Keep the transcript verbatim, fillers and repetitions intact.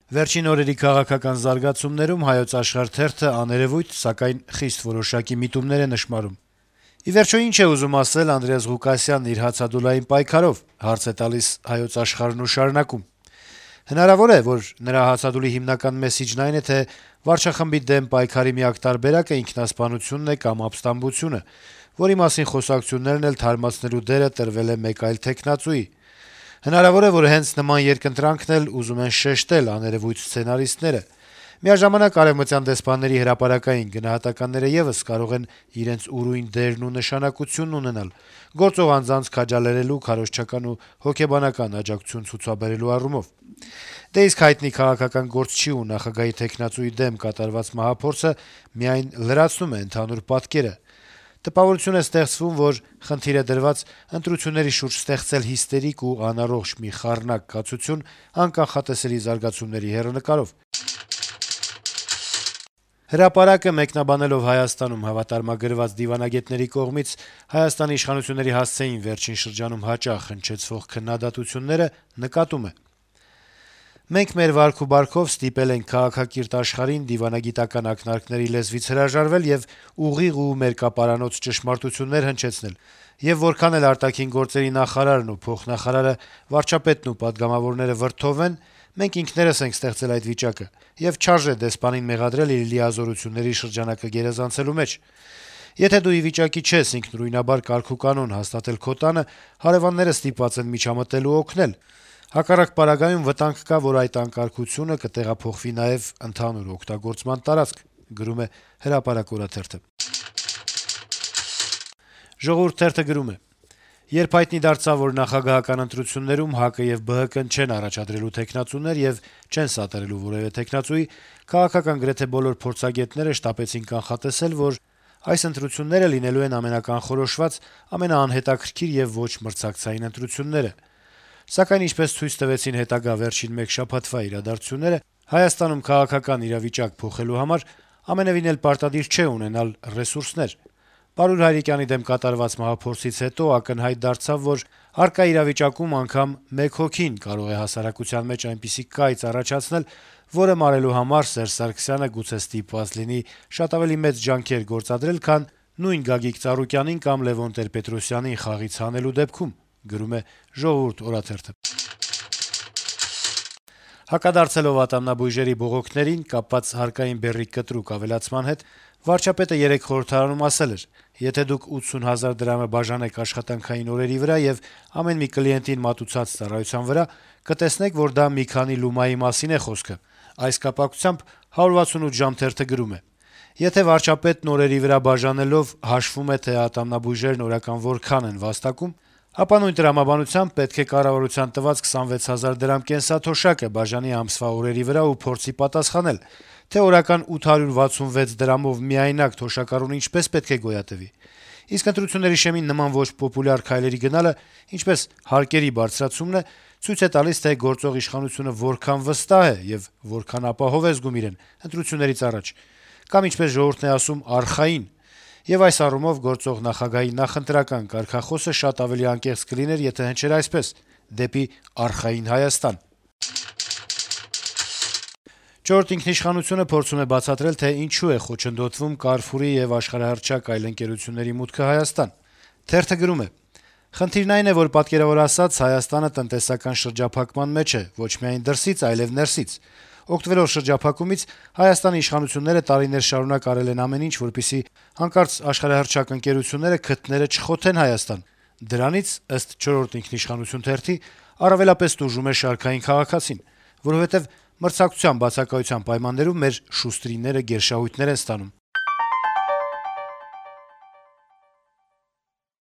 Վերջին օրերի քաղաքական զարգացումներում Հայոց Աշխարհ թերթը աներեւույթ, սակայն խիստ որոշակի միտումներ է նշմարում։ Ի վերջո ինչ է ուզում ասել Անդրեաս Ղուկասյանն իր հացադուլային պայքարով, հարց է տալիս Հայոց Աշխարհն ու շարունակում. Հնարավոր է, որ նրա հացադուլի հիմնական մեսիջն այն է, թե վարչախմբի դեմ պայքարի միակ տարբերակը ինքնասպանությունն է կամ ապստամբությունը, որի մասին խոսակցություններն էլ թարմացնելու դերը տրվել է մեկ այլ թեկնածուի։ Հնարավոր է, որ հենց նման երկընտրանքն էլ ուզում են շեշտել աներեւույթ սցենարիստները։ Միաժամանակ արեւմտյան դեսպանների հրապարակային գնահատականները եւս կարող են իրենց ուրույն դերն ու նշանակությունն ունենալ գործող անձանց քաջալերելու, քարոզչական ու հոգեբանական աջակցություն ցուցաբերելու առումով։ Դե իսկ հայտնի քաղաքական գործչի ու նախագահի թեկնածուի դեմ կատարված մահափորձը միայն լրացնում է ընդհանուր պատկերը։ Տպավորություն է ստեղծվում, որ խնդիր է դրված ընտրությունների շուրջ ստեղծել հիստերիկ ու անառողջ մի խառնակ կացություն անկանխատեսելի զարգացումների հեռանկարով։ Հրապարակը մեկնաբանելով Հայաստանում հավատարմագրված դիվանագետների կողմից Հայաստանի իշխանությունների հասցեին վերջին շրջանում հաճախ հնչեցվող քննադատությունները նկատում է. «Մենք մեր վարք ու բարքով ստիպել ենք քաղաքակիրթ աշխարհին դիվանագիտական ակնարկների լեզվից հրաժարվել եւ ուղիղ ու մերկապարանոց ճշմարտություններ հնչեցնել, եւ որքան էլ արտաքին գործերի նախարարն ու փոխնախարարը, վարչապետն ու պատգամավորները վրդովեն, մենք ինքներս ենք ստեղծել այդ վիճակը, եւ չարժե դեսպանին մեղադրել իր լիազորությունների շրջանակը գերազանցելու մեջ։ Եթե դու ի վիճակի չես ինքնուրույնաբար կարգուկանոն հաստատել քո տանը, հարեւանները ստիպված են միջամտել ու օգնել։ Հակառակ պարագայում վտանգ կա, որ այդ անկարգությունը կտեղափոխվի նաեւ ընդհանուր օգտագործման տարածք», գրում է «Հրապարակ» օրաթերթը։ «Ժողովուրդ» թերթը գրում է. - «Երբ հայտնի դարձավ, որ նախագահական ընտրություններում ՀԱԿ-ը եւ ԲՀԿ-ն չեն առաջադրելու թեկնածուներ եւ չեն սատարելու որեւէ թեկնածուի, քաղաքական գրեթե բոլոր փորձագետները շտապեցին կանխատեսել, որ այս ընտրությունները լինելու են ամենականխորոշված, ամենաանհետաքրքիր եւ ոչ մրցակցային ընտրությունները։ Սակայն, ինչպես ցույց տվեցին հետագա վերջին մեկ շաբաթվա իրադարձությունները, Հայաստանում քաղաքական իրավիճակ փոխելու համար ամենեւին էլ պարտադիր չէ ունենալ ռեսուրսներ։ Պարուր Հայրիկյանի դեմ կատարված մահափորձից հետո ակնհայտ դարձավ, որ առկա իրավիճակում անգամ մեկ հոգին կարող է հասարակության մեջ այնպիսի կայծ առաջացնել, որը մարելու համար Սերժ Սարգսյանը գուցե ստիպված լինի շատ ավելի մեծ ջանքեր գործադրել, քան նույն Գագիկ Ծառուկյանին կամ Լեւոն Տեր-Պետրոսյանին խաղից հանելու դեպքում», գրում է «Ժողովուրդ» օրաթերթը։ Հակադարձելով ատամնաբույժերի բողոքներին կապված հարկային բեռի կտրուկ ավելացման հետ, վարչապետը երեկ խորհրդարանում ասել էր. «Եթե դուք ութսուն հազար դրամը բաժանեք աշխատանքային օրերի վրա եւ ամեն մի կլիենտին մատուցած ծառայության վրա, կտեսնեք, որ դա մի քանի լումայի մասին է խոսքը»։ Այս կապակցությամբ «հարյուր վաթսունութ ժամ» թերթը գրում է. - «Եթե վարչապետն օրերի վրա բաժանելով հաշվում է, թե ատամնաբույժերն օրական որքան են վաստակում, ապա նույն տրամաբանությամբ պետք է կառավարության տված քսանվեց հազար դրամ կենսաթոշակը բաժանի ամսվա օրերի վրա ու փորձի պատասխանել, թե օրական ութ հարյուր վաթսունվեց դրամով միայնակ թոշակառուն ինչպես պետք է գոյատևի։ Իսկ ընտրությունների շեմին նման ոչ պոպուլյար քայլերի գնալը, ինչպես հարկերի բարձրացումն է, ցույց է տալիս, թե գործող իշխանությունը որքան վստահ է եւ որքան ապահով է զգում իրեն ընտրություններից առաջ, կամ ինչպես ժողովուրդն է ասում, արխային։ Եվ այս առումով գործող նախագահի նախընտրական կարգախոսը շատ ավելի անկեղծ կլիներ, եթե հնչեր այսպես. «Դեպի արխային Հայաստան»։ «Չորրորդ ինքնիշխանություն»-ը փորձում է բացատրել, թե ինչու է խոչընդոտվում Carrefour-ի եւ աշխարհահռչակ այլ ընկերությունների մուտքը Հայաստան։ Թերթը գրում է. - «Խնդիրն այն է, որ պատկերավոր ասած Հայաստանը տնտեսական շրջափակման մեջ է, ոչ միայն դրսից, այլեւ ներսից։ Օգտվելով շրջափակումից Հայաստանի իշխանությունները տարիներ շարունակ արել են ամեն ինչ, որպեսզի հանկարծ աշխարհահռչակ ընկերությունները քթները չխոթեն Հայաստան։ Դրանից, ըստ «Չորրորդ ինքնիշխանություն» թերթի, առավելապես տուժում է շարքային քաղաքացին, որովհետեւ մրցակցության բացակայության պայմաններում մեր շուստրիները գերշահույթներ են ստանում։